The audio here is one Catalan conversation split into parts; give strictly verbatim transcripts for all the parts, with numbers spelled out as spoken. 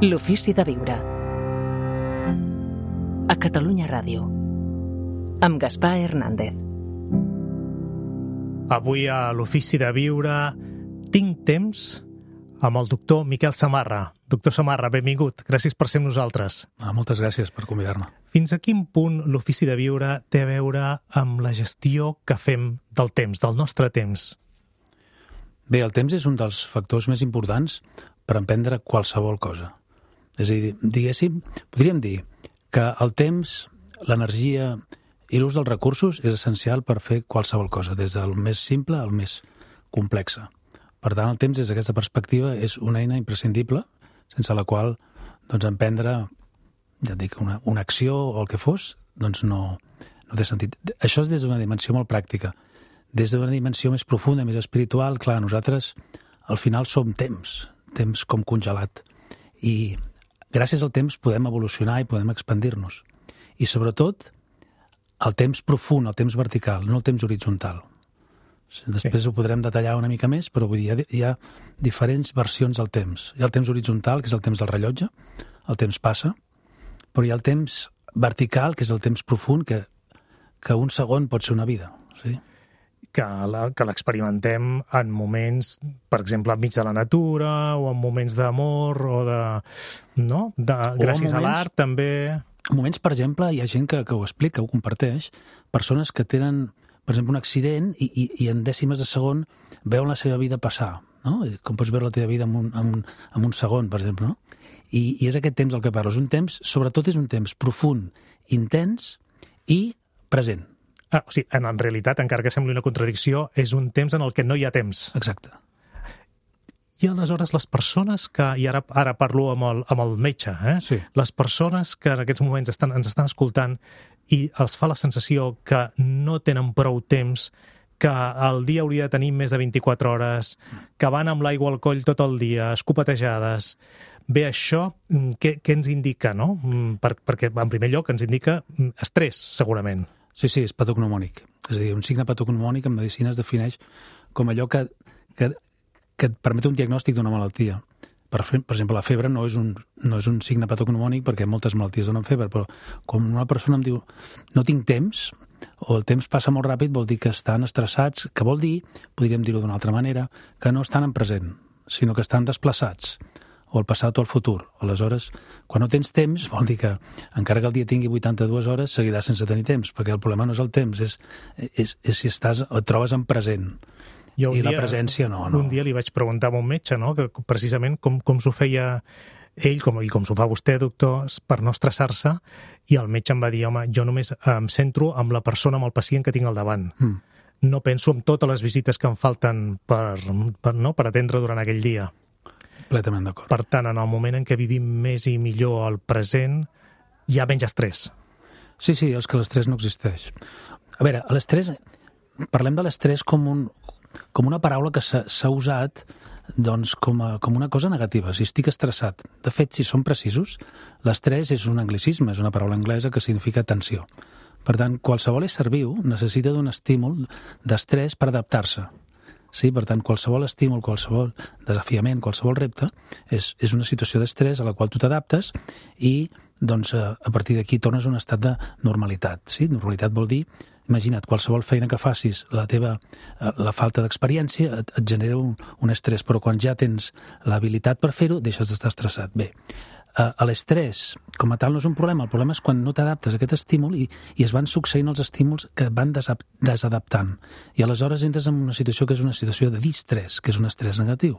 L'ofici de viure. A Catalunya Ràdio. Amb Gaspar Hernández. Avui a l'ofici de viure tinc temps amb el doctor Miquel Samarra. Doctor Samarra, benvingut. Gràcies per ser amb nosaltres. Ah, moltes gràcies per convidar-me. Fins a quin punt l'ofici de viure té a veure amb la gestió que fem del temps, del nostre temps? Bé, el temps és un dels factors més importants per emprendre qualsevol cosa. És a dir, diguéssim, podríem dir que el temps, l'energia i l'ús dels recursos és essencial per fer qualsevol cosa, des del més simple al més complexe. Per tant, el temps, des d'aquesta perspectiva, és una eina imprescindible, sense la qual doncs, emprendre ja et dic, una, una acció o el que fos, doncs no, no té sentit. Això és des d'una dimensió molt pràctica. Des d'una dimensió més profunda, més espiritual, clar, nosaltres al final som temps, temps com congelat. I gràcies al temps podem evolucionar i podem expandir-nos. I sobretot, el temps profund, el temps vertical, no el temps horitzontal. Després sí. Ho podrem detallar una mica més, però vull dir, hi ha, hi ha diferents versions del temps. Hi ha el temps horitzontal, que és el temps del rellotge, el temps passa, però hi ha el temps vertical, que és el temps profund, que, que un segon pot ser una vida. Sí? Que l'experimentem en moments, per exemple, enmig de la natura, o en moments d'amor, o de... no? De, gràcies moments, a l'art, també... Moments, per exemple, hi ha gent que, que ho explica, ho comparteix, persones que tenen, per exemple, un accident i, i, i en dècimes de segon veuen la seva vida passar, no? Com pots veure la teva vida en un, en un, en un segon, per exemple, no? I, I és aquest temps el que parlo. És un temps, sobretot és un temps profund, intens i present. Ah, o sigui, en, en realitat, encara que sembli una contradicció, és un temps en el que no hi ha temps. Exacte. I aleshores les persones que, i ara, ara parlo amb el, amb el metge, eh? Sí. Les persones que en aquests moments estan, ens estan escoltant i els fa la sensació que no tenen prou temps, que el dia hauria de tenir més de vint-i-quatre hores, que van amb l'aigua al coll tot el dia, escopetejades. Bé, això, què, què ens indica, no? Per, perquè, en primer lloc, ens indica estrès, segurament. Sí, sí, és patognomònic. És a dir, un signe patognomònic en medicina es defineix com allò que, que, que et permet un diagnòstic d'una malaltia. Per, per exemple, la febre no és, un, no és un signe patognomònic perquè moltes malalties donen febre, però quan una persona em diu no tinc temps, o el temps passa molt ràpid, vol dir que estan estressats, que vol dir, podríem dir-ho d'una altra manera, que no estan en present, sinó que estan desplaçats, o al passat o al futur. Aleshores, quan no tens temps, vol dir que, encara que el dia tingui vuitanta-dues hores, seguiràs sense tenir temps, perquè el problema no és el temps, és, és, és si estàs, et trobes en present. Jo I dia, la presència no, no. Un dia li vaig preguntar a un metge, no?, que precisament com, com s'ho feia ell, com, i com s'ho fa vostè, doctor, per no estressar-se, i el metge em va dir, home, jo només em centro amb la persona, amb el pacient que tinc al davant. Mm. No penso en totes les visites que em falten per, per, no, per atendre durant aquell dia. Completament d'acord. Per tant, en el moment en què vivim més i millor el present, hi ha menys estrès. Sí, sí, és que l'estrès no existeix. A veure, l'estrès, parlem de l'estrès com, un, com una paraula que s'ha usat doncs, com, a, com una cosa negativa, si estic estressat. De fet, si som precisos, l'estrès és un anglicisme, és una paraula anglesa que significa tensió. Per tant, qualsevol ésser viu necessita d'un estímul d'estrès per adaptar-se. Sí, per tant, qualsevol estímul, qualsevol desafiament, qualsevol repte és, és una situació d'estrès a la qual tu t'adaptes i doncs, a, a partir d'aquí tornes a un estat de normalitat. Sí? Normalitat vol dir, imagina't, qualsevol feina que facis, la teva la falta d'experiència et, et genera un, un estrès, però quan ja tens l'habilitat per fer-ho, deixes d'estar estressat. Bé, a l'estrès, com a tal, no és un problema. El problema és quan no t'adaptes a aquest estímul i, i es van succeint els estímuls que et van desadaptant. I aleshores entres en una situació que és una situació de distrès, que és un estrès negatiu.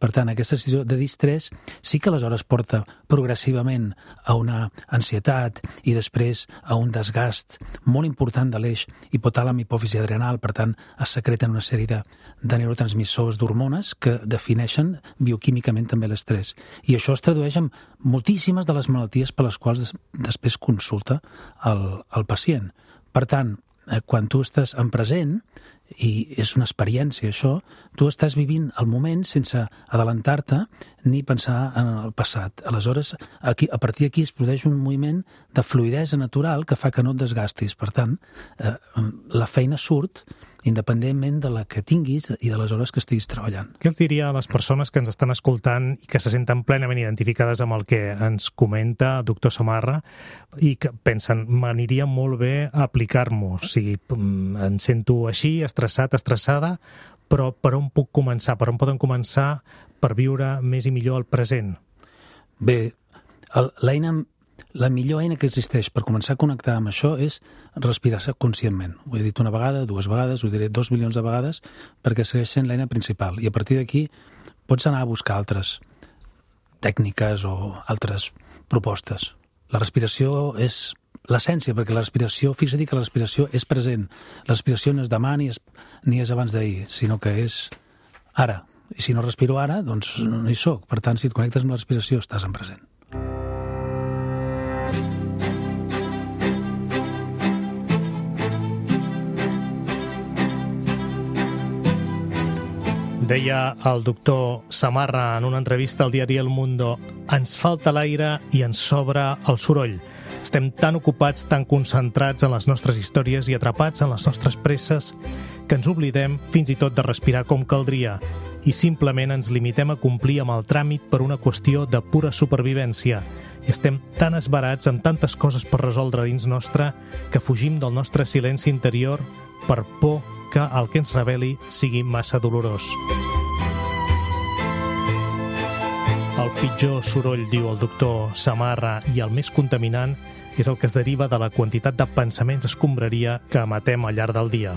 Per tant, aquesta situació de distrès sí que aleshores porta progressivament a una ansietat i després a un desgast molt important de l'eix hipotàlam hipòfisi adrenal. Per tant, es secreten una sèrie de, de neurotransmissors d'hormones que defineixen bioquímicament també l'estrès. I això es tradueix en moltíssimes de les malalties per les quals des, després consulta el, el pacient. Per tant, eh, quan tu estàs en present, i és una experiència això, tu estàs vivint el moment sense adelantar-te ni pensar en el passat. Aleshores, aquí, a partir d'aquí es produeix un moviment de fluïdesa natural que fa que no et desgastis. Per tant, eh, la feina surt independentment de la que tinguis i de les hores que estiguis treballant. Què els diria a les persones que ens estan escoltant i que se senten plenament identificades amb el que ens comenta el doctor Samarra i que pensen, m'aniria molt bé aplicar-m'ho, o sigui, em sento així, estressat, estressada, però per on puc començar? Per on poden començar per viure més i millor el present? Bé, l'eina... La millor eina que existeix per començar a connectar amb això és respirar-se conscientment. Ho he dit una vegada, dues vegades, ho diré dos milions de vegades, perquè segueix sent l'eina principal. I a partir d'aquí pots anar a buscar altres tècniques o altres propostes. La respiració és l'essència, perquè la respiració, fixa't que la respiració és present. La respiració no és demà ni és, ni és abans d'ahir, sinó que és ara. I si no respiro ara, doncs no hi soc. Per tant, si et connectes amb la respiració, estàs en present. Deia el doctor Samarra en una entrevista al diari El Mundo: ens falta l'aire i ens sobra el soroll. Estem tan ocupats, tan concentrats en les nostres històries i atrapats en les nostres presses que ens oblidem fins i tot de respirar com caldria i simplement ens limitem a complir amb el tràmit per una qüestió de pura supervivència. I estem tan esbarats amb tantes coses per resoldre dins nostre que fugim del nostre silenci interior per por que el que ens reveli sigui massa dolorós. El pitjor soroll, diu el doctor Samarra, i el més contaminant és el que es deriva de la quantitat de pensaments escombraria que emetem al llarg del dia.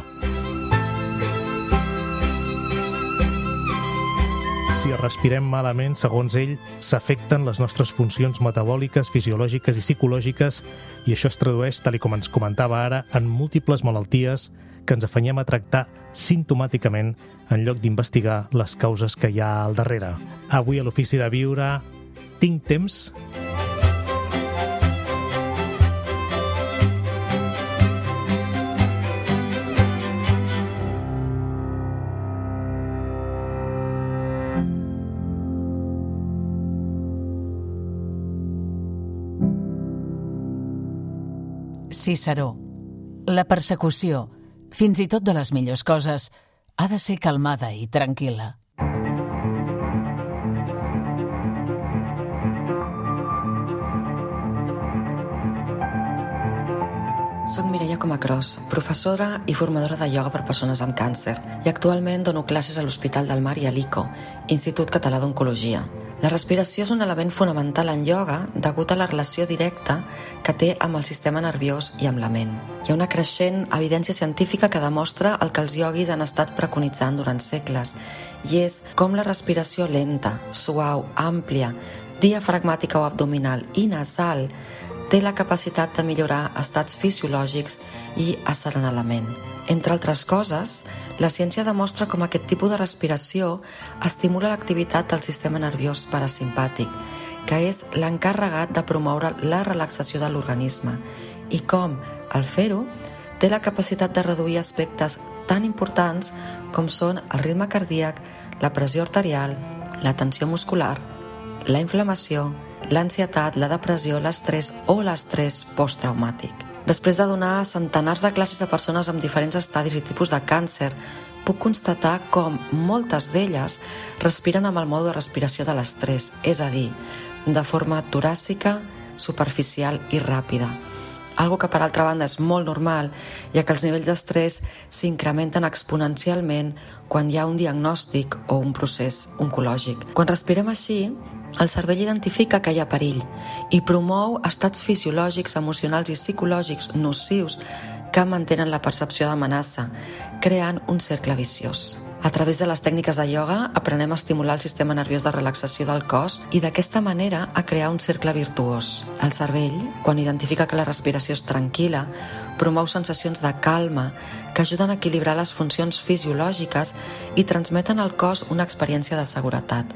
Si respirem malament, segons ell, s'afecten les nostres funcions metabòliques, fisiològiques i psicològiques, i això es tradueix, tal com ens comentava ara, en múltiples malalties que ens afanyem a tractar simptomàticament en lloc d'investigar les causes que hi ha al darrere. Avui a l'Ofici de Viure, tinc temps? Ciceró. La persecució, fins i tot de les millors coses, ha de ser calmada i tranquil·la. Soc Mireia Comacros, professora i formadora de ioga per persones amb càncer i actualment dono classes a l'Hospital del Mar i a l'I C O, Institut Català d'Oncologia. La respiració és un element fonamental en ioga degut a la relació directa que té amb el sistema nerviós i amb la ment. Hi ha una creixent evidència científica que demostra el que els ioguis han estat preconitzant durant segles, i és com la respiració lenta, suau, àmplia, diafragmàtica o abdominal i nasal té la capacitat de millorar estats fisiològics i asserenar la ment. Entre altres coses, la ciència demostra com aquest tipus de respiració estimula l'activitat del sistema nerviós parasimpàtic, que és l'encarregat de promoure la relaxació de l'organisme, i com, al fer-ho, té la capacitat de reduir aspectes tan importants com són el ritme cardíac, la pressió arterial, la tensió muscular, la inflamació, l'ansietat, la depressió, l'estrès o l'estrès posttraumàtic. Després de donar centenars de classes a persones amb diferents estadis i tipus de càncer, puc constatar com moltes d'elles respiren amb el mode de respiració de l'estrès, és a dir, de forma toràcica, superficial i ràpida. Algo que, per altra banda, és molt normal, ja que els nivells d'estrès s'incrementen exponencialment quan hi ha un diagnòstic o un procés oncològic. Quan respirem així, el cervell identifica que hi ha perill i promou estats fisiològics, emocionals i psicològics nocius que mantenen la percepció d'amenaça, creant un cercle viciós. A través de les tècniques de ioga aprenem a estimular el sistema nerviós de relaxació del cos i d'aquesta manera a crear un cercle virtuós. El cervell, quan identifica que la respiració és tranquil·la, promou sensacions de calma que ajuden a equilibrar les funcions fisiològiques i transmeten al cos una experiència de seguretat.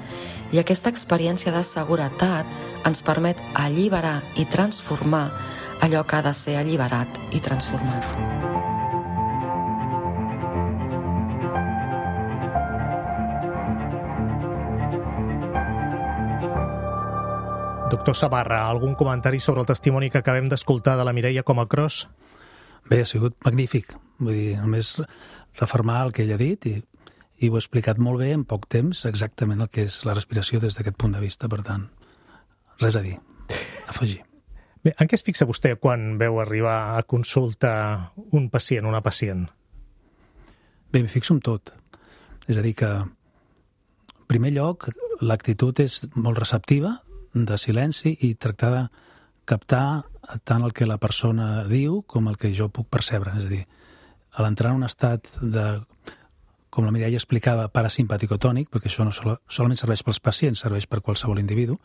I aquesta experiència de seguretat ens permet alliberar i transformar allò que ha de ser alliberat i transformat. Doctor Samarra, algun comentari sobre el testimoni que acabem d'escoltar de la Mireia Comacros? Bé, ha sigut magnífic. Vull dir, només refermar el que ell ha dit i, i ho he explicat molt bé en poc temps, exactament el que és la respiració des d'aquest punt de vista. Per tant, res a dir, afegir. Bé, en què es fixa vostè quan veu arribar a consulta un pacient, una pacient? Bé, m'hi fixo en tot. És a dir que, en primer lloc, l'actitud és molt receptiva, de silenci, i tractar de captar tant el que la persona diu com el que jo puc percebre. És a dir, a l'entrar en un estat de, com la Mireia explicava, parasimpaticotònic, perquè això no sol, solament serveix pels pacients, serveix per qualsevol individu,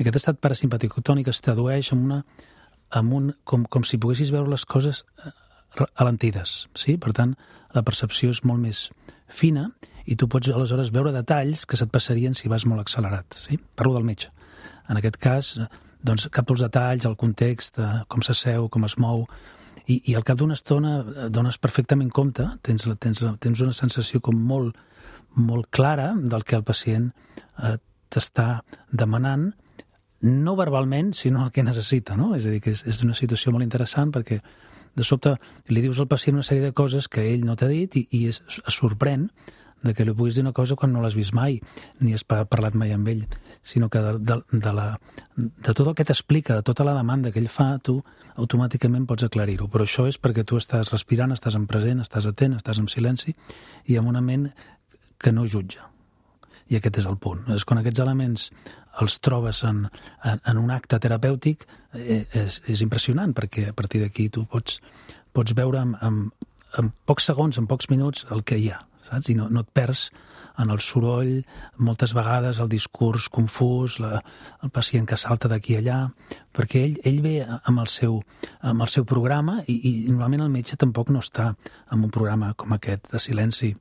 aquest estat parasimpaticotònic es tradueix en una, en un, com, com si poguessis veure les coses alentides. Sí? Per tant, la percepció és molt més fina i tu pots aleshores veure detalls que se't passarien si vas molt accelerat. Sí? Parlo del metge. En aquest cas, doncs, capto els detalls, el context, com s'asseu, com es mou, i, i al cap d'una estona dones perfectament compte, tens, tens, tens una sensació com molt, molt clara del que el pacient eh, t'està demanant, no verbalment, sinó el que necessita, no? És a dir, que és, és una situació molt interessant perquè de sobte li dius al pacient una sèrie de coses que ell no t'ha dit i, i es, es sorprèn de que li puguis dir una cosa quan no l'has vist mai, ni has parlat mai amb ell, sinó que de, de, de, la, de tot el que t'explica, de tota la demanda que ell fa, tu automàticament pots aclarir-ho. Però això és perquè tu estàs respirant, estàs en present, estàs atent, estàs en silenci i amb una ment que no jutja. I aquest és el punt. És quan aquests elements els trobes en, en, en un acte terapèutic, eh, és, és impressionant, perquè a partir d'aquí tu pots, pots veure en, en, en pocs segons, en pocs minuts, el que hi ha, saps? I no, no et perds en el soroll, moltes vegades el discurs confús, la, el pacient que salta d'aquí a allà, perquè ell, ell ve amb el seu, amb el seu programa i, i normalment el metge tampoc no està en un programa com aquest de silenci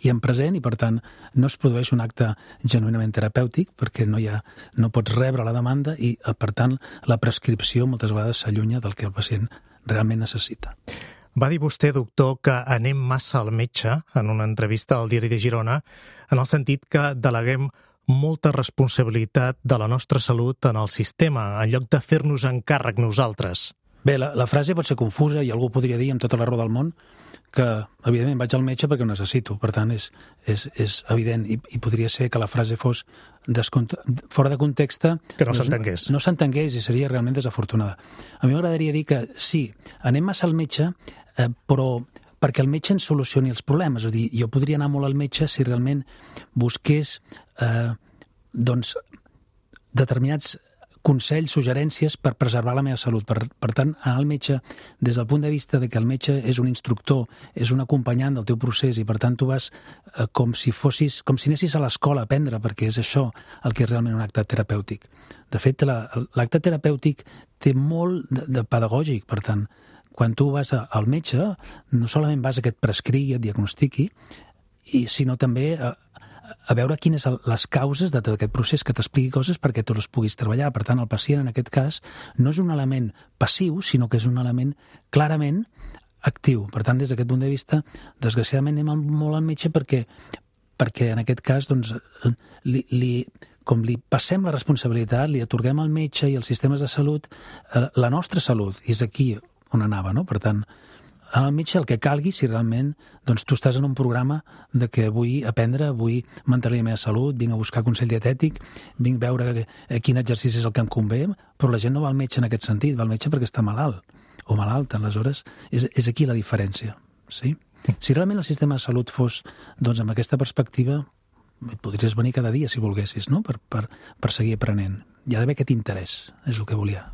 i en present, i per tant no es produeix un acte genuïnament terapèutic perquè no, hi ha, no pots rebre la demanda i per tant la prescripció moltes vegades s'allunya del que el pacient realment necessita. Va dir vostè, doctor, que anem massa al metge en una entrevista al Diari de Girona, en el sentit que deleguem molta responsabilitat de la nostra salut en el sistema, en lloc de fer-nos encàrrec nosaltres. Bé, la, la frase pot ser confusa i algú podria dir amb tota la raó del món que, evidentment, vaig al metge perquè ho necessito. Per tant, és, és, és evident i, i podria ser que la frase fos descont... fora de context. Que no s'entengués. No, no s'entengués i seria realment desafortunada. A mi m'agradaria dir que sí, anem massa al metge, eh, però perquè el metge ens solucioni els problemes. És a dir, jo podria anar molt al metge si realment busqués eh, doncs, determinats consells, suggerències per preservar la meva salut. Per, per tant, anar al metge des del punt de vista de que el metge és un instructor, és un acompanyant del teu procés i per tant tu vas eh, com si fossis, com si anessis a l'escola a aprendre, perquè és això el que és realment un acte terapèutic. De fet, la, l'acte terapèutic té molt de, de pedagògic, per tant, quan tu vas a, al metge, no solament vas a que et prescrigui, et diagnostiqui, i, sinó també a, a veure quines són les causes de tot aquest procés, que t'expliqui coses perquè tu les puguis treballar. Per tant, el pacient, en aquest cas, no és un element passiu, sinó que és un element clarament actiu. Per tant, des d'aquest punt de vista, desgraciadament anem molt al metge perquè, perquè en aquest cas, doncs, li, li, com li passem la responsabilitat, li atorguem al metge i als sistemes de salut la nostra salut. I és aquí on anava, no? Per tant, al metge el que calgui, si realment doncs, tu estàs en un programa de que vull aprendre, vull mantenir la meva salut, vinc a buscar consell dietètic, vinc a veure quin exercici és el que em convé, però la gent no va al metge en aquest sentit, va al metge perquè està malalt o malalta. Aleshores, és, és aquí la diferència. Sí? Si realment el sistema de salut fos doncs, amb aquesta perspectiva, podries venir cada dia si volguessis, no? per, per, per seguir aprenent. Hi ha d'haver aquest interès, és el que volia,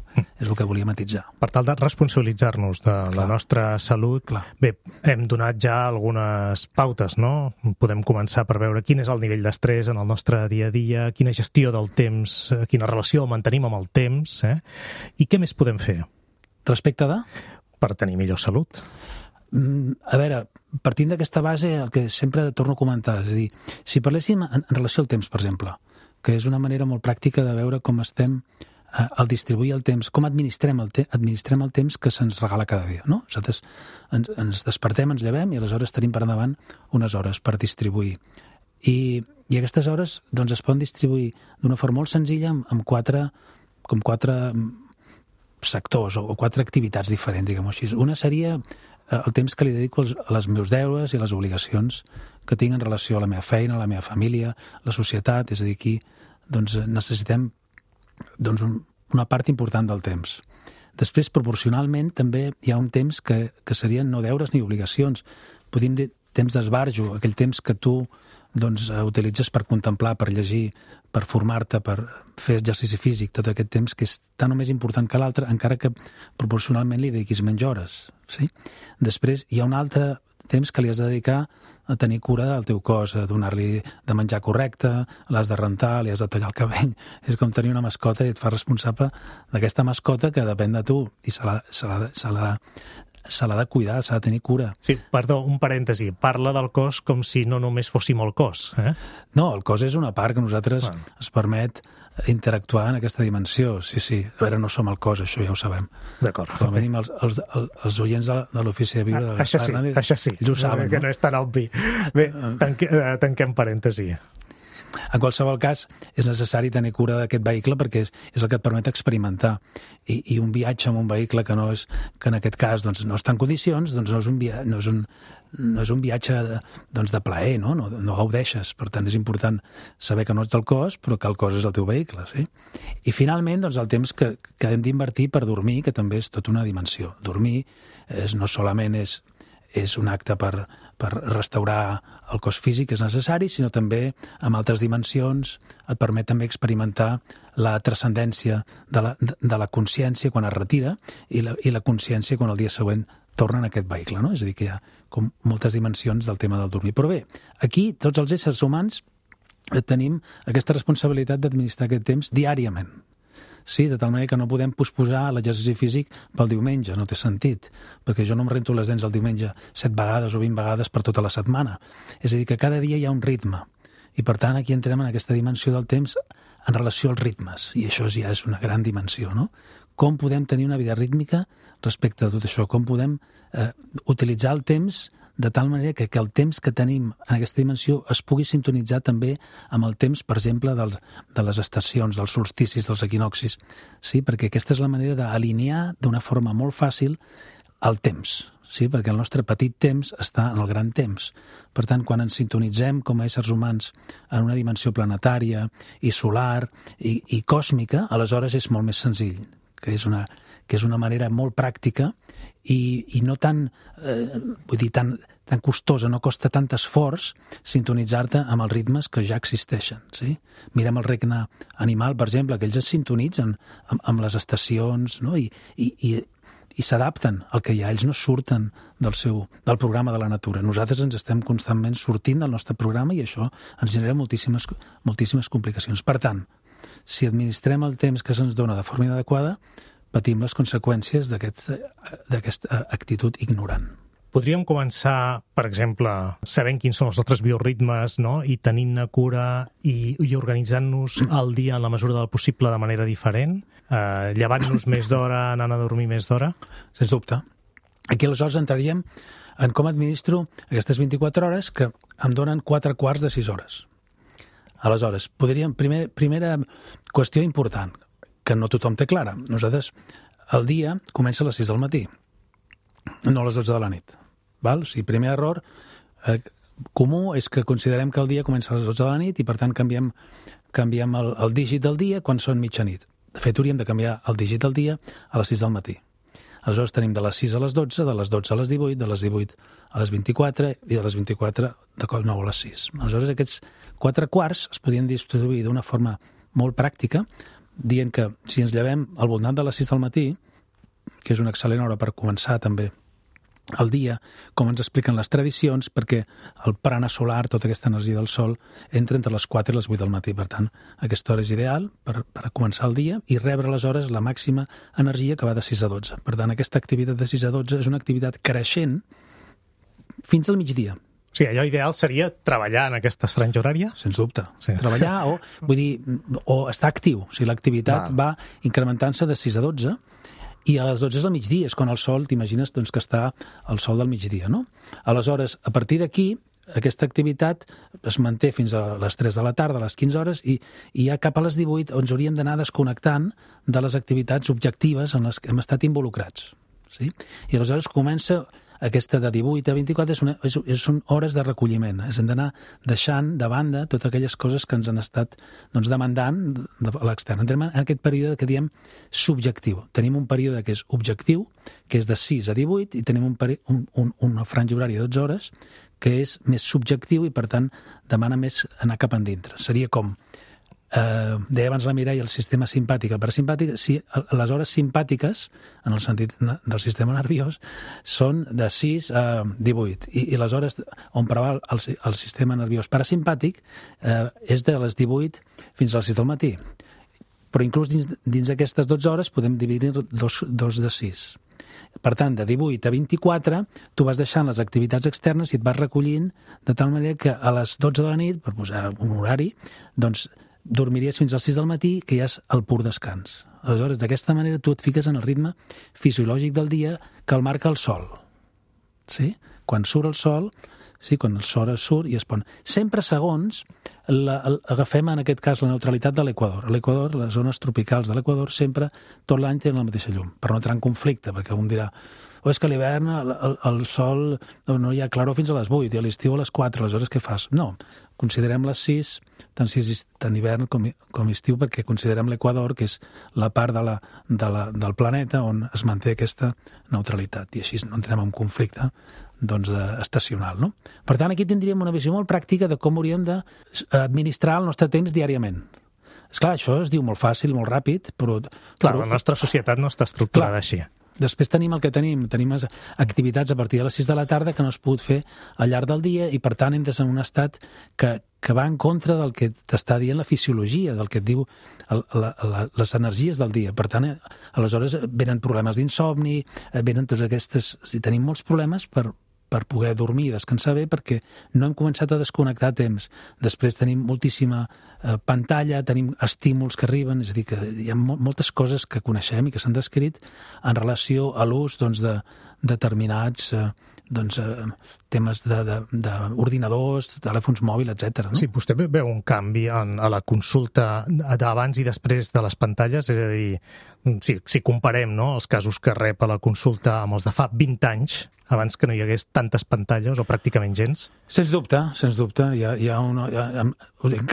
és el que volia matitzar. Per tal de responsabilitzar-nos de Clar. la nostra salut, Clar. bé, hem donat ja algunes pautes, no? Podem començar per veure quin és el nivell d'estrès en el nostre dia a dia, quina gestió del temps, quina relació mantenim amb el temps, eh? I què més podem fer? Respecte de? Per tenir millor salut. A veure, partint d'aquesta base, el que sempre torno a comentar, és a dir, si parléssim en relació al temps, per exemple, que és una manera molt pràctica de veure com estem eh, al distribuir el temps, com administrem el, te administrem el temps que se'ns regala cada dia, no? Nosaltres ens, ens despertem, ens llevem i aleshores tenim per endavant unes hores per distribuir. I, i aquestes hores doncs, es poden distribuir d'una forma molt senzilla amb, amb quatre, com quatre sectors o, o quatre activitats diferents, diguem-ho així. Una seria el temps que li dedico als, als meus deures i a les obligacions que tinc en relació a la meva feina, a la meva família, la societat. És a dir, aquí doncs, necessitem doncs, un, una part important del temps. Després, proporcionalment, també hi ha un temps que, que serien no deures ni obligacions. Podríem dir temps d'esbarjo, aquell temps que tu doncs, utilitzes per contemplar, per llegir, per formar-te, per fer exercici físic, tot aquest temps que és tan o més important que l'altre, encara que proporcionalment li dediquis menys hores. Sí? Després hi ha un altre temps que li has de dedicar a tenir cura del teu cos, a donar-li de menjar correcte, l'has de rentar, li has de tallar el cabell. És com tenir una mascota i et fa responsable d'aquesta mascota que depèn de tu i se l'ha, se l'ha, se l'ha, se l'ha de cuidar, s'ha de tenir cura. Sí, perdó, un parèntesi. Parla del cos com si no només fóssim el cos. Eh? No, el cos és una part que a nosaltres ah. es permet interactuar en aquesta dimensió. Sí, sí. A veure, no som el cos, això ja ho sabem. D'acord. Com a mínim els, els, els oients de, de l'ofici de viure de Gaspar sí, Hernández, això sí, ells ho saben, que no? no és tan obvi. Bé, tanque, tanquem parèntesi. En qualsevol cas, és necessari tenir cura d'aquest vehicle perquè és, és el que et permet experimentar. I, i un viatge amb un vehicle que no és, que en aquest cas doncs, no està en condicions, doncs no és un, via, no és un, no és un viatge de, doncs, de plaer, no? No, no gaudeixes. Per tant, és important saber que no ets el cos, però que el cos és el teu vehicle. Sí? I finalment, doncs, el temps que, que hem d'invertir per dormir, que també és tota una dimensió. Dormir és, no solament és, és un acte per, per restaurar el cos físic, és necessari, sinó també amb altres dimensions et permet també experimentar la transcendència de la, de la consciència quan es retira i la, i la consciència quan el dia següent torna en aquest vehicle, no? És a dir, que hi ha com moltes dimensions del tema del dormir. Però bé, aquí tots els éssers humans tenim aquesta responsabilitat d'administrar aquest temps diàriament. Sí, de tal manera que no podem posposar l'exercici físic pel diumenge, no té sentit, perquè jo no em rento les dents el diumenge set vegades o vint vegades per tota la setmana. És a dir, que cada dia hi ha un ritme, i per tant aquí entrem en aquesta dimensió del temps en relació als ritmes, i això ja és una gran dimensió, no? Com podem tenir una vida rítmica respecte a tot això? Com podem eh, utilitzar el temps de tal manera que, que el temps que tenim en aquesta dimensió es pugui sintonitzar també amb el temps, per exemple, del, de les estacions, dels solsticis, dels equinoxis. Sí, perquè aquesta és la manera d'alinear d'una forma molt fàcil el temps, sí? Perquè el nostre petit temps està en el gran temps. Per tant, quan ens sintonitzem com a éssers humans en una dimensió planetària i solar i, i còsmica, aleshores és molt més senzill, que és una, que és una manera molt pràctica i, i no tan, eh, vull dir, tan, tan costosa, no costa tant esforç sintonitzar-te amb els ritmes que ja existeixen. Sí? Mirem el regne animal, per exemple, que ells es sintonitzen amb, amb les estacions, no? I, i, i, i s'adapten al que hi ha. Ells no surten del, seu, del programa de la natura. Nosaltres ens estem constantment sortint del nostre programa i això ens genera moltíssimes, moltíssimes complicacions. Per tant, si administrem el temps que se'ns dona de forma inadequada, patim les conseqüències d'aquesta actitud ignorant. Podríem començar, per exemple, sabent quins són els nostres bioritmes, no? I tenint-ne cura i, i organitzant-nos el dia en la mesura del possible de manera diferent, eh, llevant-nos més d'hora, anant a dormir més d'hora? Sens dubte. Aquí aleshores entraríem en com administro aquestes vint-i-quatre hores que em donen quatre quarts de sis hores. Aleshores, podríem, primer, primera qüestió important, que no tothom té clara. Nosaltres, el dia comença a les sis del matí, no a les dotze de la nit. Val? O sigui, primer error eh, comú és que considerem que el dia comença a les dotze de la nit i, per tant, canviem, canviem el, el dígit del dia quan són mitjanit. De fet, hauríem de canviar el dígit del dia a les sis del matí. Aleshores tenim de les sis a les dotze, de les dotze a les divuit, de les divuit a les vint-i-quatre i de les vint-i-quatre de cop nou a les sis. Aleshores aquests quatre quarts es podien distribuir d'una forma molt pràctica, dient que si ens llevem al voltant de les sis del matí, que és una excel·lent hora per començar també el dia, com ens expliquen les tradicions, perquè el prana solar, tota aquesta energia del sol, entra entre les quatre i les vuit del matí. Per tant, aquesta hora és ideal per, per començar el dia i rebre aleshores la màxima energia que va de sis a dotze. Per tant, aquesta activitat de sis a dotze és una activitat creixent fins al migdia. Sí, allò ideal seria treballar en aquesta franja horària? Sens dubte. Sí. Treballar o, vull dir, o estar actiu. O sigui, l'activitat va incrementant-se de sis a dotze i a les dotze és el migdia, és quan el sol, t'imagines doncs, que està al sol del migdia, no? Aleshores, a partir d'aquí, aquesta activitat es manté fins a les tres de la tarda, a les quinze hores, i, i ja cap a les divuit ens hauríem d'anar desconnectant de les activitats objectives en les que hem estat involucrats. Sí? I aleshores comença aquesta de divuit a vint-i-quatre és una, és, és, són hores de recolliment. És, hem d'anar deixant de banda totes aquelles coses que ens han estat doncs, demandant de l'extern. Entrem en aquest període que diem subjectiu. Tenim un període que és objectiu, que és de sis a divuit, i tenim un, peri, un, un, una franja horària de dotze hores que és més subjectiu i, per tant, demana més anar cap endintre. Seria com Eh, deia abans la Mireia, el sistema simpàtic, el parasimpàtic, si, les hores simpàtiques, en el sentit del sistema nerviós, són de sis a divuit, i, i les hores on preval el, el sistema nerviós parasimpàtic eh, és de les divuit fins a les sis del matí. Però inclús dins, dins d'aquestes dotze hores podem dividir dos, dos de sis. Per tant, de divuit a vint-i-quatre, tu vas deixant les activitats externes i et vas recollint de tal manera que a les dotze de la nit, per posar un horari, doncs dormiries fins als sis del matí, que ja és el pur descans. Aleshores, d'aquesta manera, tu et fiques en el ritme fisiològic del dia que el marca el sol. Sí? Quan surt el sol, sí, quan el sol surt i es pon. Sempre segons la, el, agafem, en aquest cas, la neutralitat de l'Equador. A l'Equador, les zones tropicals de l'Equador, sempre, tot l'any tenen la mateixa llum, per no entrar en conflicte, perquè un dirà o és que a l'hivern el, el, el sol no hi ha claror fins a les vuit i a l'estiu a les quatre, aleshores què fas? No, considerem les sis, tant, sis, tant hivern com, com estiu, perquè considerem l'Equador, que és la part de la, de la, del planeta on es manté aquesta neutralitat, i així no entrem en conflicte doncs, estacional. No? Per tant, aquí tindríem una visió molt pràctica de com hauríem d'administrar el nostre temps diàriament. Esclar, això es diu molt fàcil, molt ràpid, però... Clar, però... la nostra societat no està estructurada així. Després tenim el que tenim, tenim activitats a partir de les sis de la tarda que no es pot fer al llarg del dia i, per tant, entres en un estat que, que va en contra del que t'està dient la fisiologia, del que et diu el, la, la, les energies del dia. Per tant, aleshores venen problemes d'insomni, venen totes aquestes... Si tenim molts problemes per, per poder dormir i descansar bé perquè no hem començat a desconnectar a temps. Després tenim moltíssima eh, pantalla, tenim estímuls que arriben, és a dir, que hi ha mo moltes coses que coneixem i que s'han descrit en relació a l'ús doncs, de determinats eh, doncs, eh, temes d'ordinadors, de, de telèfons mòbils, etcètera. No? Sí, vostè veu un canvi en, a la consulta d'abans i després de les pantalles? És a dir, si, si comparem no, els casos que rep a la consulta amb els de fa vint anys, abans que no hi hagués tantes pantalles o pràcticament gens? Sens dubte, sens dubte. Hi ha, hi ha una, hi ha,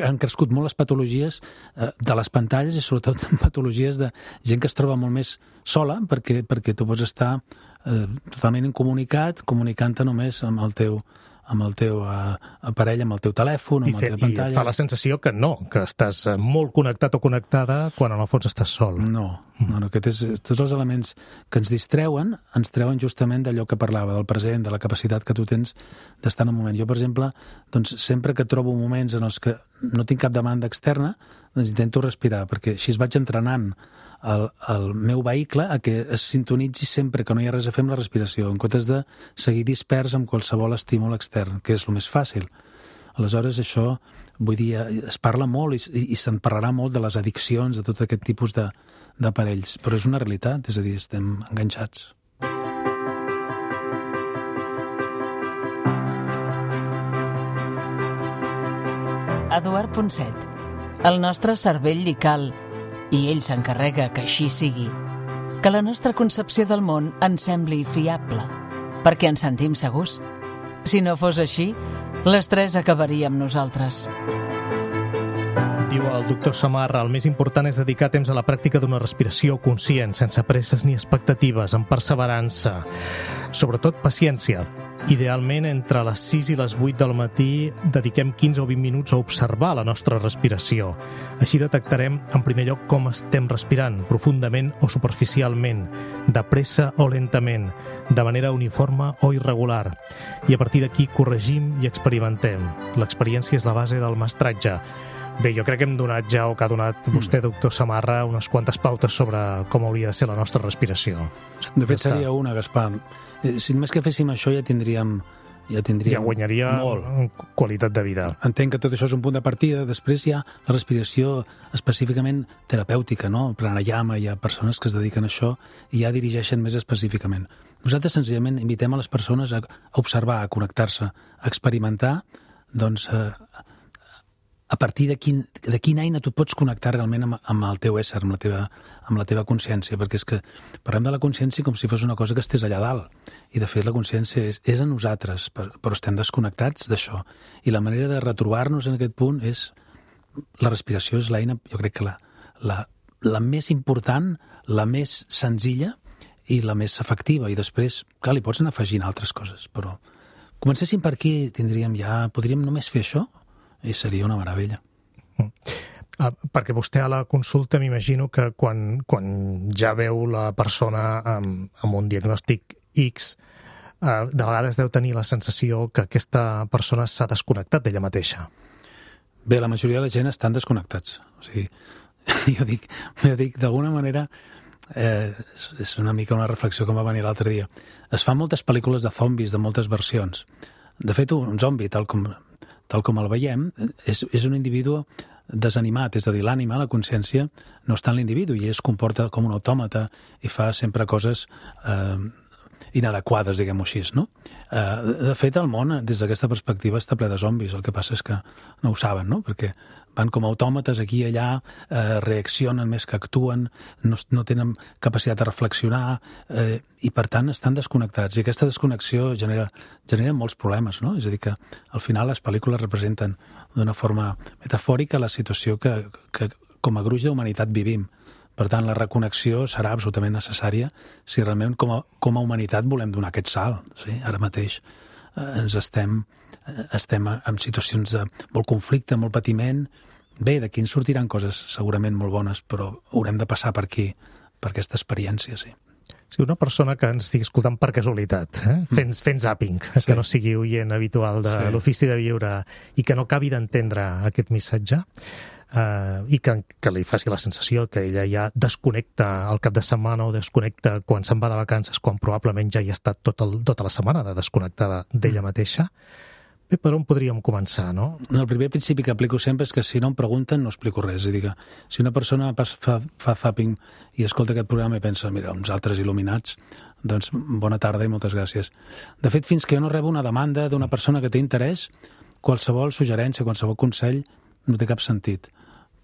han crescut molt les patologies eh, de les pantalles i sobretot patologies de gent que es troba molt més sola perquè, perquè tu pots estar eh, totalment incomunicat, comunicant-te només amb el teu amb el teu uh, aparell, amb el teu telèfon, amb I fe, la teva pantalla. I et fa la sensació que no, que estàs molt connectat o connectada quan en el fons estàs sol. No, no, no aquest és, tots els elements que ens distreuen, ens treuen justament d'allò que parlava, del present, de la capacitat que tu tens d'estar en un moment. Jo, per exemple, doncs, sempre que trobo moments en els que no tinc cap demanda externa, doncs intento respirar, perquè així es vaig entrenant El, el meu vehicle a que es sintonitzi sempre que no hi ha res a fer amb la respiració, en comptes de seguir dispers amb qualsevol estímul extern, que és el més fàcil. Aleshores, això, vull dir, es parla molt i, i se'n parlarà molt de les addiccions, de tot aquest tipus d'aparells, però és una realitat, és a dir, estem enganxats. Eduard Ponset. El nostre cervell li cal, i ell s'encarrega que així sigui, que la nostra concepció del món ens sembli fiable, perquè ens sentim segurs. Si no fos així, l'estrès acabaria amb nosaltres. Diu el doctor Samarra, el més important és dedicar temps a la pràctica d'una respiració conscient, sense presses ni expectatives, amb perseverança. Sobretot paciència. Idealment, entre les sis i les vuit del matí, dediquem quinze o vint minuts a observar la nostra respiració. Així detectarem, en primer lloc, com estem respirant, profundament o superficialment, de pressa o lentament, de manera uniforme o irregular. I a partir d'aquí corregim i experimentem. L'experiència és la base del mestratge. Bé, jo crec que hem donat ja, o que ha donat vostè, doctor Samarra, unes quantes pautes sobre com hauria de ser la nostra respiració. De fet, seria una, Gaspar. Si només que féssim això ja tindríem ja tindríem ja guanyaria molt. Qualitat de vida. Entenc que tot això és un punt de partida. Després hi ha la respiració específicament terapèutica, no? El pranayama, hi ha persones que es dediquen a això i ja dirigeixen més específicament. Nosaltres senzillament invitem a les persones a observar, a connectar-se, a experimentar, doncs, eh, a partir de, quin, de quina eina tu pots connectar realment amb, amb el teu ésser, amb la teva, amb la teva consciència, perquè és que parlem de la consciència com si fos una cosa que estés allà dalt, i de fet la consciència és, és a nosaltres, però estem desconnectats d'això, i la manera de retrobar-nos en aquest punt és, la respiració és l'eina, jo crec que la, la, la més important, la més senzilla i la més efectiva, i després, clar, li pots anar afegint altres coses, però comencéssim per aquí, tindríem ja, podríem només fer això, i seria una meravella. Mm. Ah, perquè vostè a la consulta m'imagino que quan, quan ja veu la persona amb, amb un diagnòstic X, eh, de vegades deu tenir la sensació que aquesta persona s'ha desconnectat d'ella mateixa. Bé, la majoria de la gent estan desconnectats. O sigui, jo dic, jo dic d'alguna manera, eh, és una mica una reflexió que em va venir l'altre dia. Es fan moltes pel·lícules de zombis, de moltes versions. De fet, un zombi, tal com... tal com el veiem, és, és un individu desanimat, és a dir, l'ànima, la consciència, no està en l'individu i es comporta com un autòmata i fa sempre coses eh, inadequades, diguem-ho així, no? Eh, de fet, el món, des d'aquesta perspectiva, està ple de zombis. El que passa és que no ho saben, no? Perquè van com autòmates aquí i allà, eh, reaccionen més que actuen, no, no tenen capacitat de reflexionar, eh, i per tant estan desconnectats. I aquesta desconnexió genera, genera molts problemes, no? És a dir, que al final les pel·lícules representen d'una forma metafòrica la situació que, que com a gruix d'humanitat vivim. Per tant, la reconnexió serà absolutament necessària si realment com a, com a humanitat volem donar aquest salt. Sí? Ara mateix eh, ens estem, eh, estem en situacions de molt conflicte, molt patiment. Bé, d'aquí en sortiran coses segurament molt bones, però haurem de passar per aquí, per aquesta experiència, sí. Si una persona que ens estigui escoltant per casualitat, eh? fent, fent zapping, sí. que no sigui oient habitual de sí. l'ofici de viure i que no acabi d'entendre aquest missatge, Uh, i que, que li faci la sensació que ella ja desconnecta al cap de setmana o desconnecta quan se'n va de vacances, quan probablement ja hi ha estat tot el, tota la setmana de desconnectada d'ella mateixa. Bé, per on podríem començar, no? El primer principi que aplico sempre és que si no em pregunten no explico res. És a dir, que si una persona fa, fa zapping i escolta aquest programa i pensa, mira, uns altres il·luminats, doncs bona tarda i moltes gràcies. De fet, fins que jo no rebo una demanda d'una persona que té interès, qualsevol suggerència, qualsevol consell no té cap sentit.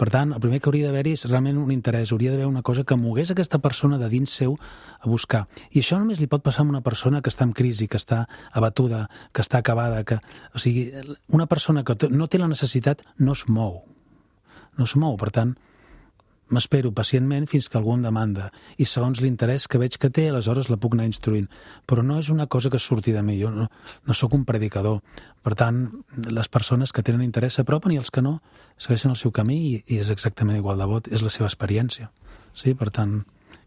Per tant, el primer que hauria d'haver-hi és realment un interès, hauria d'haver una cosa que mogués aquesta persona de dins seu a buscar. I això només li pot passar a una persona que està en crisi, que està abatuda, que està acabada, que... O sigui, una persona que no té la necessitat no es mou. No es mou, per tant, m'espero pacientment fins que algú em demanda. I segons l'interès que veig que té, aleshores la puc anar instruint. Però no és una cosa que surti de mi, jo no, no sóc un predicador. Per tant, les persones que tenen interès s'apropen i els que no segueixen el seu camí i, i és exactament igual de vot, és la seva experiència. Sí? Per tant,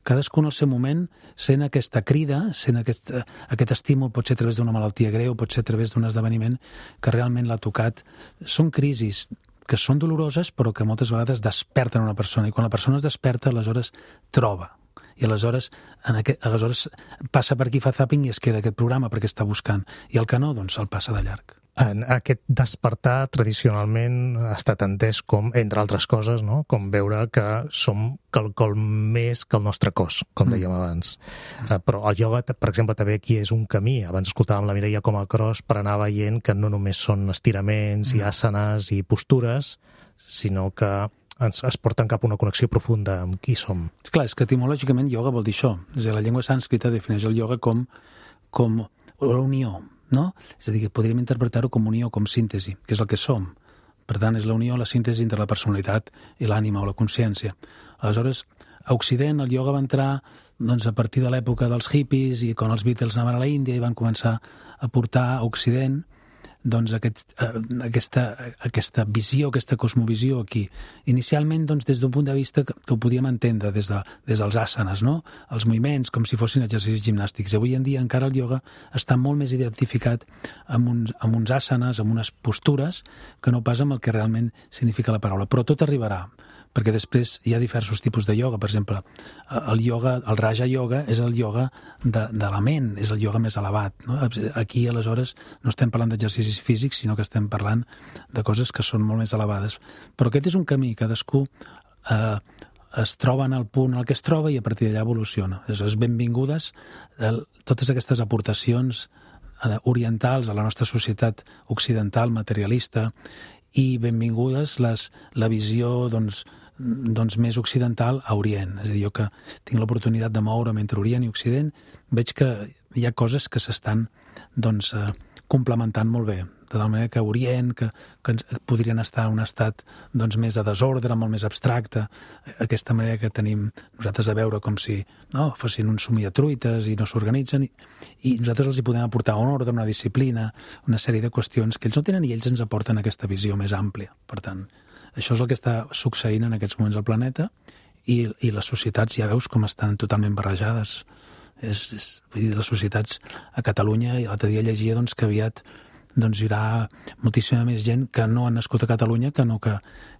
cadascú en el seu moment sent aquesta crida, sent aquest, aquest estímul, pot ser a través d'una malaltia greu, pot ser a través d'un esdeveniment que realment l'ha tocat. Són crisis que són doloroses, però que moltes vegades desperten una persona, i quan la persona es desperta, aleshores troba. I aleshores, en aquest, aleshores passa per aquí, fa zapping i es queda aquest programa perquè està buscant. I el que no, doncs el passa de llarg. En aquest despertar tradicionalment ha estat entès com, entre altres coses, no? Com veure que som quelcom més que el nostre cos, com dèiem mm. abans. Uh, però el ioga, per exemple, també aquí és un camí. Abans escoltàvem la Mireia com a cross per anar veient que no només són estiraments mm. i asanes i postures, sinó que ens es porten cap a una connexió profunda amb qui som. Clar, és que etimològicament ioga vol dir això. És a dir, la llengua sànscrita defineix el ioga com, com la unió, no? És a dir, que podríem interpretar-ho com unió, com síntesi, que és el que som. Per tant, és la unió, la síntesi entre la personalitat i l'ànima o la consciència. Aleshores, a Occident el ioga va entrar doncs, a partir de l'època dels hippies i quan els Beatles anaven a la Índia i van començar a portar a Occident doncs, aquest, eh, aquesta, aquesta visió, aquesta cosmovisió aquí. Inicialment, doncs, des d'un punt de vista que, que ho podíem entendre des, de, des dels asanes, no? Els moviments, com si fossin exercicis gimnàstics. I avui en dia encara el ioga està molt més identificat amb uns, amb uns asanes, amb unes postures, que no pas amb el que realment significa la paraula. Però tot arribarà, perquè després hi ha diversos tipus de ioga. Per exemple, el ioga, el Raja Yoga és el ioga de, de la ment, és el ioga més elevat, no? Aquí, aleshores, no estem parlant d'exercicis físics, sinó que estem parlant de coses que són molt més elevades. Però aquest és un camí, cadascú eh, es troba en el punt en el que es troba i a partir d'allà evoluciona. Aleshores, benvingudes eh, totes aquestes aportacions eh, orientals a la nostra societat occidental, materialista, i benvingudes les, la visió doncs, doncs, més occidental a Orient. És a dir, jo que tinc l'oportunitat de moure'm entre Orient i Occident, veig que hi ha coses que s'estan doncs, eh, complementant molt bé. De tal manera que Orient, que, que podrien estar en un estat doncs, més de desordre, molt més abstracte, aquesta manera que tenim nosaltres de veure com si no, fossin un somiatruites i no s'organitzen, i, i nosaltres els hi podem aportar un ordre, una disciplina, una sèrie de qüestions que ells no tenen i ells ens aporten aquesta visió més àmplia. Per tant, això és el que està succeint en aquests moments al planeta i, i les societats ja veus com estan totalment barrejades. És, és, vull dir, les societats a Catalunya, i l'altre dia llegia doncs, que aviat doncs, hi haurà moltíssima més gent que no han nascut a Catalunya que no que,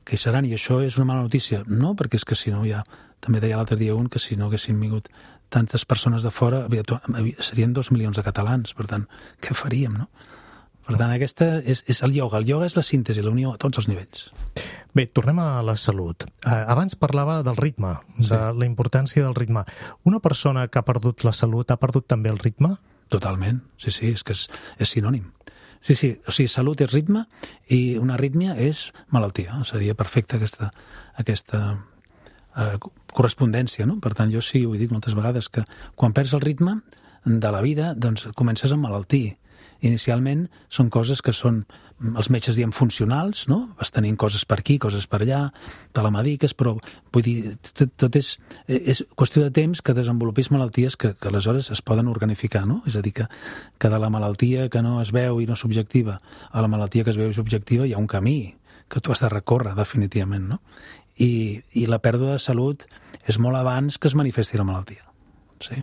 que hi seran, i això és una mala notícia. No, perquè és que si no ja, també deia l'altre dia un que si no haguessin vingut tantes persones de fora serien dos milions de catalans, per tant, què faríem, no? Per tant, aquesta és, és el ioga. El ioga és la síntesi, la unió a tots els nivells. Bé, tornem a la salut. Abans parlava del ritme, sí. de la importància del ritme. Una persona que ha perdut la salut ha perdut també el ritme? Totalment, sí, sí, és que és, és sinònim. Sí, sí, o sigui, salut és ritme i una arrítmia és malaltia. Seria perfecta aquesta, aquesta eh, correspondència, no? Per tant, jo sí, ho he dit moltes vegades, que quan perds el ritme de la vida, doncs comences a emmalaltir. Inicialment són coses que són, els metges diem funcionals, no? Vas tenint coses per aquí, coses per allà, te la mediques, però vull dir, tot, tot és, és qüestió de temps que desenvolupis malalties que, que aleshores es poden organificar, no? És a dir, que, que de la malaltia que no es veu i no és objectiva a la malaltia que es veu i és objectiva hi ha un camí que tu has de recórrer definitivament, no? I, i la pèrdua de salut és molt abans que es manifesti la malaltia, sí?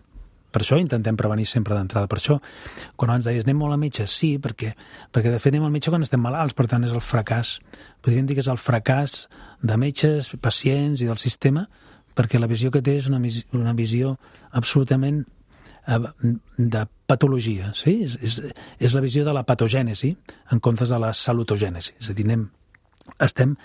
Per això intentem prevenir sempre d'entrada. Per això, quan abans deies, anem molt al metge, sí, perquè, perquè de fet anem al metge quan estem malalts, per tant és el fracàs. Podríem dir que és el fracàs de metges, pacients i del sistema, perquè la visió que té és una, una visió absolutament de patologia, sí? És, és, és la visió de la patogènesi en comptes de la salutogènesi. És a dir, anem, estem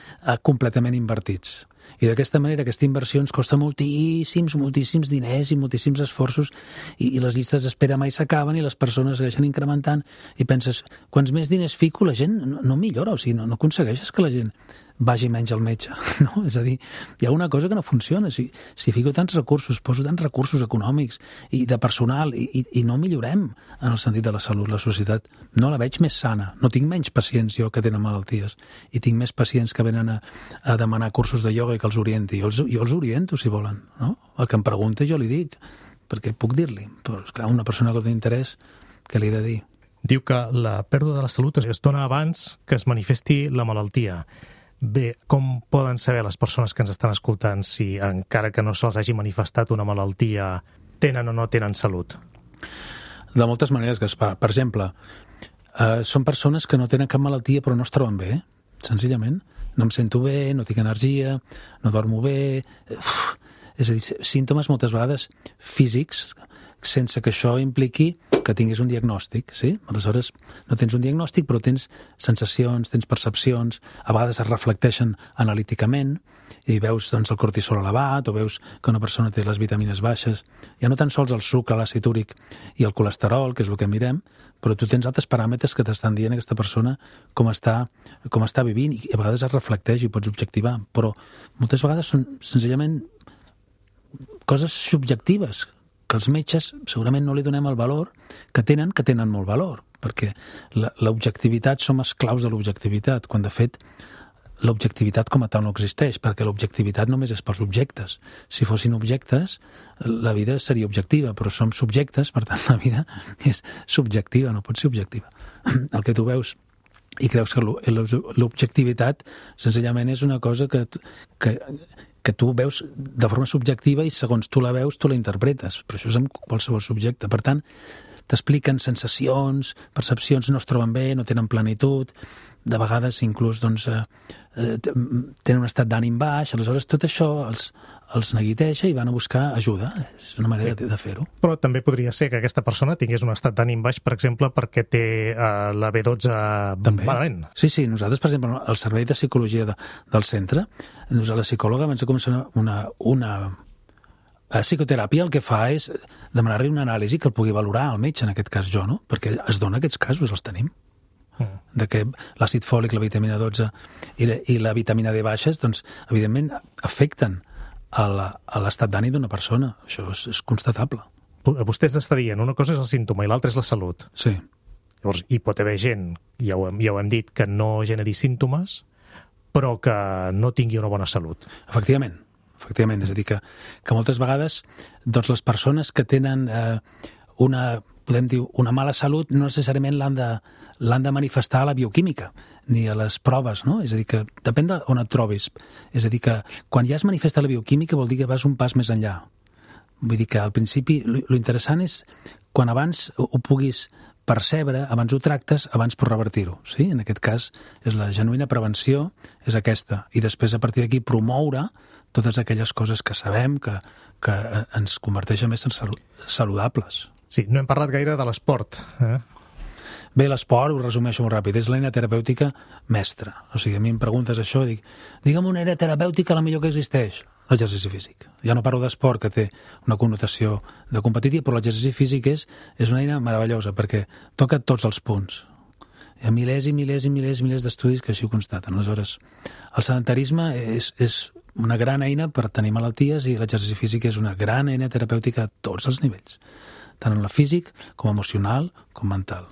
completament invertits. I d'aquesta manera aquesta inversió ens costa moltíssims, moltíssims diners i moltíssims esforços i, i les llistes d'espera mai s'acaben i les persones segueixen incrementant i penses, quants més diners fico la gent no, no millora, o sigui, no, no aconsegueixes que la gent vagi menys al metge, no? És a dir, hi ha una cosa que no funciona. Si, si fico tants recursos, poso tants recursos econòmics i de personal i, i, i no millorem en el sentit de la salut, la societat no la veig més sana. No tinc menys pacients jo que tenen malalties i tinc més pacients que venen a, a demanar cursos de ioga i que els orienti. Jo els, jo els oriento, si volen, no? El que em pregunta jo li dic, perquè puc dir-li. Però, esclar, una persona que té interès, què li he de dir? Diu que la pèrdua de la salut es dona abans que es manifesti la malaltia. Bé, com poden saber les persones que ens estan escoltant si, encara que no se'ls hagi manifestat una malaltia, tenen o no tenen salut? De moltes maneres, Gaspar. Per exemple, eh, són persones que no tenen cap malaltia però no es troben bé, senzillament. No em sento bé, no tinc energia, no dormo bé... Uf, és a dir, símptomes moltes vegades físics, sense que això impliqui que tinguis un diagnòstic, sí? Aleshores, no tens un diagnòstic, però tens sensacions, tens percepcions, a vegades es reflecteixen analíticament, i veus doncs, el cortisol elevat, o veus que una persona té les vitamines baixes. Ja no tan sols el sucre, l'àcid úric i el colesterol, que és el que mirem, però tu tens altres paràmetres que t'estan dient aquesta persona com està, com està vivint, i a vegades es reflecteix i pots objectivar, però moltes vegades són senzillament coses subjectives, que els metges segurament no li donem el valor que tenen, que tenen molt valor, perquè l'objectivitat, som esclaus de l'objectivitat, quan de fet l'objectivitat com a tal no existeix, perquè l'objectivitat només és pels objectes. Si fossin objectes, la vida seria objectiva, però som subjectes, per tant la vida és subjectiva, no pot ser objectiva. El que tu veus i creus que l'objectivitat senzillament és una cosa que, que que tu veus de forma subjectiva i segons tu la veus, tu la interpretes. Però això és amb qualsevol subjecte. Per tant, t'expliquen sensacions, percepcions, no es troben bé, no tenen plenitud, de vegades inclús doncs, eh, tenen un estat d'ànim baix, aleshores tot això els, els neguiteja i van a buscar ajuda. És una manera sí. de fer-ho. Però també podria ser que aquesta persona tingués un estat d'ànim baix, per exemple, perquè té eh, la B dotze també. Malament. Sí, sí. Nosaltres, per exemple, el servei de psicologia de, del centre, la psicòloga abans de començar una, una a psicoteràpia el que fa és demanar-li una anàlisi que el pugui valorar el metge, en aquest cas jo, no? Perquè es dona aquests casos, els tenim. Mm. de que l'àcid fòlic, la vitamina dotze i la, i la vitamina D baixes, doncs, evidentment, afecten a l'estat d'ànim d'una persona. Això és, és constatable. Vostè està dient, una cosa és el símptoma i l'altra és la salut. Sí. Llavors, hi pot haver gent, ja ho, hem, ja ho hem dit, que no generi símptomes, però que no tingui una bona salut. Efectivament, efectivament. És a dir, que, que moltes vegades doncs, les persones que tenen eh, una, podem dir, una mala salut no necessàriament l'han de, l'han de manifestar a la bioquímica ni a les proves, no? És a dir, que depèn d'on et trobis. És a dir, que quan ja es manifesta la bioquímica vol dir que vas un pas més enllà. Vull dir que al principi l'interessant és quan abans ho, ho puguis percebre, abans ho tractes, abans pots revertir-ho. Sí? En aquest cas, és la genuïna prevenció, és aquesta. I després, a partir d'aquí, promoure totes aquelles coses que sabem que, que ens converteixen més en saludables. Sí, no hem parlat gaire de l'esport, eh? Bé, l'esport, ho resumeixo molt ràpid, és l'eina terapèutica mestra. O sigui, a mi em preguntes això, dic, digue'm una eina terapèutica la millor que existeix. L'exercici físic. Ja no parlo d'esport, que té una connotació de competitiva, però l'exercici físic és, és una eina meravellosa, perquè toca tots els punts. Hi ha milers i milers i milers i milers d'estudis que així ho constaten. Aleshores, el sedentarisme és, és una gran eina per tenir malalties i l'exercici físic és una gran eina terapèutica a tots els nivells, tant en la físic com emocional com mental.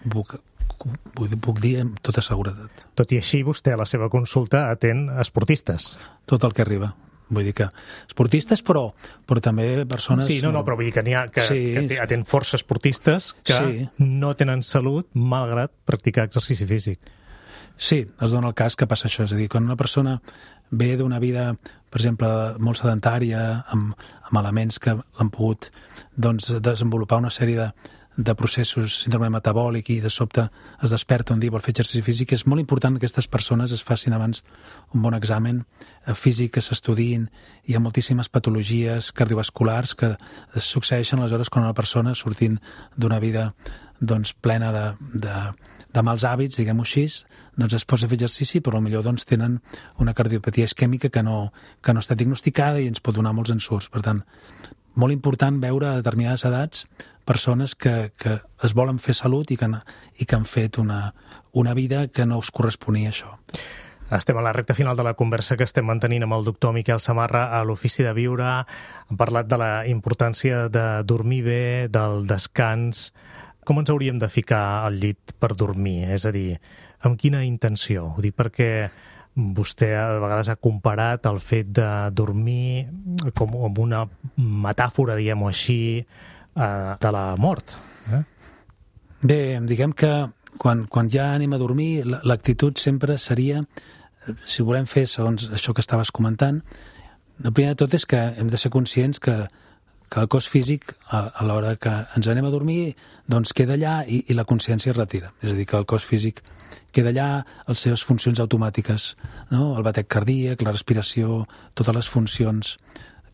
Puc, puc, puc dir amb tota seguretat. Tot i així, vostè a la seva consulta atén esportistes. Tot el que arriba. Vull dir que esportistes, però, però també persones... Sí, no, no, però vull dir que n'hi ha que, sí, que atén força esportistes que sí. no tenen salut malgrat practicar exercici físic. Sí, es dona el cas que passa això. És a dir, quan una persona ve d'una vida, per exemple, molt sedentària, amb, amb elements que l'han pogut doncs, desenvolupar una sèrie de, de processos, síndrome metabòlic, i de sobte es desperta un dia i vol fer exercici físic, és molt important que aquestes persones es facin abans un bon examen físic, que s'estudiïn. Hi ha moltíssimes patologies cardiovasculars que es succeeixen aleshores quan una persona, sortint d'una vida doncs, plena de, de, de mals hàbits, diguem-ho així, doncs es posa a fer exercici, però potser doncs, tenen una cardiopatia isquèmica que no, que no està diagnosticada i ens pot donar molts ensurts. Per tant, molt important veure a determinades edats persones que, que es volen fer salut i que han, i que han fet una, una vida que no us corresponia a això. Estem a la recta final de la conversa que estem mantenint amb el doctor Miquel Samarra a l'Ofici de Viure. Hem parlat de la importància de dormir bé, del descans. Com ens hauríem de ficar al llit per dormir? És a dir, amb quina intenció? Ho dic perquè vostè a vegades ha comparat el fet de dormir com amb una metàfora, diguem-ho així, de la mort. Eh? Bé, diguem que quan, quan ja anem a dormir, l'actitud sempre seria, si volem fer segons això que estaves comentant, el primer de tot és que hem de ser conscients que, que el cos físic, a, a l'hora que ens anem a dormir, doncs queda allà i, i la consciència es retira. És a dir, que el cos físic queda allà, les seves funcions automàtiques, no? El batec cardíac, la respiració, totes les funcions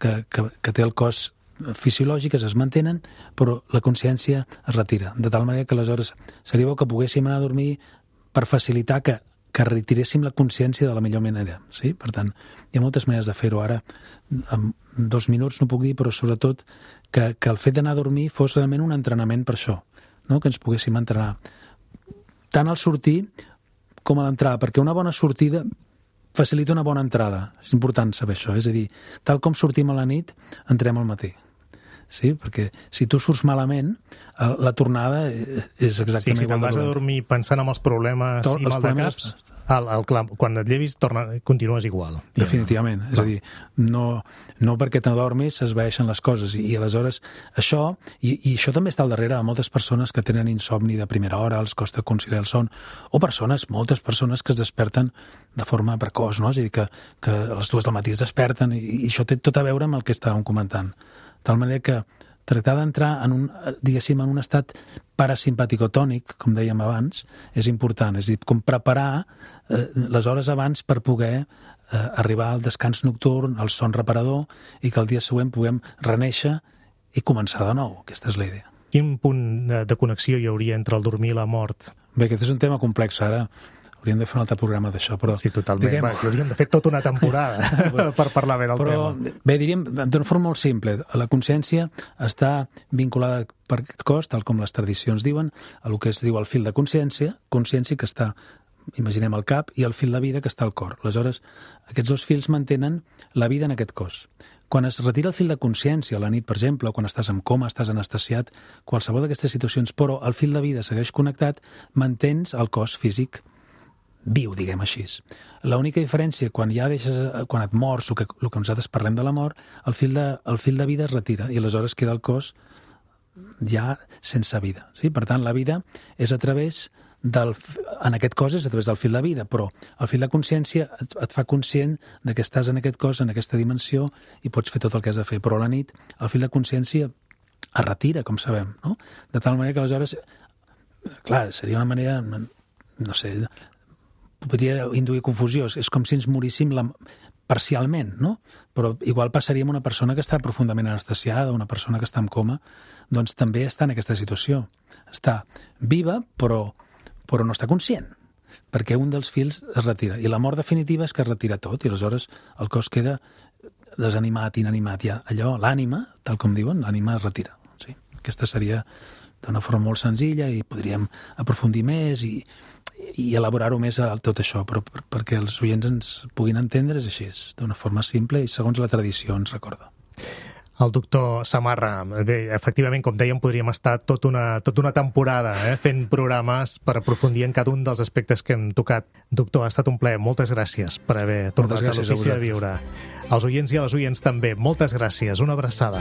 que, que, que té el cos fisiològiques es mantenen, però la consciència es retira. De tal manera que aleshores seria bo que poguéssim anar a dormir per facilitar que, que retiréssim la consciència de la millor manera. Sí? Per tant, hi ha moltes maneres de fer-ho. Ara, en dos minuts no puc dir, però sobretot que, que el fet d'anar a dormir fos realment un entrenament per això, no? Que ens poguéssim entrenar tant al sortir com a l'entrada, perquè una bona sortida facilita una bona entrada. És important saber això. És a dir, tal com sortim a la nit, entrem al matí. Sí? Perquè si tu surts malament, la tornada és exactament sí, si igual. Si vas a dormir pensant en els problemes Tot, i mal de caps, el, el, el, quan et llevis torna, continues igual. Definitivament. És a dir, no, no perquè t'adormis s'esvaeixen les coses. I, i aleshores això, i, i això també està al darrere de moltes persones que tenen insomni de primera hora, els costa conciliar el son, o persones, moltes persones que es desperten de forma precoç, no? És a dir, que, que a les dues del matí es desperten, i, i això té tot a veure amb el que estàvem comentant. De tal manera que tractar d'entrar en un, diguéssim, en un estat parasimpaticotònic, com dèiem abans, és important. És a dir, com preparar eh, les hores abans per poder eh, arribar al descans nocturn, al son reparador, i que el dia següent puguem renéixer i començar de nou. Aquesta és la idea. Quin punt de, de connexió hi hauria entre el dormir i la mort? Bé, aquest és un tema complex. Ara Hauríem de fer un altre programa d'això, però... Sí, totalment. Diguem... Va, hauríem de fer tota una temporada per parlar bé del però, tema. Bé, diríem, d'una forma molt simple, la consciència està vinculada per aquest cos, tal com les tradicions diuen, a el que es diu el fil de consciència, consciència que està, imaginem, al cap, i el fil de vida que està al cor. Aleshores, aquests dos fils mantenen la vida en aquest cos. Quan es retira el fil de consciència a la nit, per exemple, o quan estàs en coma, estàs anestesiat, qualsevol d'aquestes situacions, però el fil de vida segueix connectat, mantens el cos físic viu, diguem així. L'única diferència, quan ja deixes, quan et mors, el que, el que nosaltres parlem de la mort, el fil de, el fil de vida es retira i aleshores queda el cos ja sense vida. Sí? Per tant, la vida és a través del... En aquest cos és a través del fil de vida, però el fil de consciència et, et fa conscient de que estàs en aquest cos, en aquesta dimensió, i pots fer tot el que has de fer. Però a la nit el fil de consciència es retira, com sabem, no? De tal manera que aleshores... Clar, seria una manera... No sé... podria induir confusió. És com si ens moríssim la... parcialment, no? Però igual passaria amb una persona que està profundament anestesiada, una persona que està en coma, doncs també està en aquesta situació. Està viva, però, però no està conscient, perquè un dels fils es retira. I la mort definitiva és que es retira tot, i aleshores el cos queda desanimat, inanimat. Ja allò, l'ànima, tal com diuen, l'ànima es retira. Sí? Aquesta seria d'una forma molt senzilla i podríem aprofundir més i, i elaborar-ho més a tot això, però per, perquè els oients ens puguin entendre és així, d'una forma simple i segons la tradició ens recorda. El doctor Samarra, bé, efectivament, com dèiem, podríem estar tot una, tota una temporada eh, fent programes per aprofundir en cada un dels aspectes que hem tocat. Doctor, ha estat un plaer. Moltes gràcies per haver tornat a l'Ofici de Viure. Als oients i a les oients també, moltes gràcies. Una abraçada.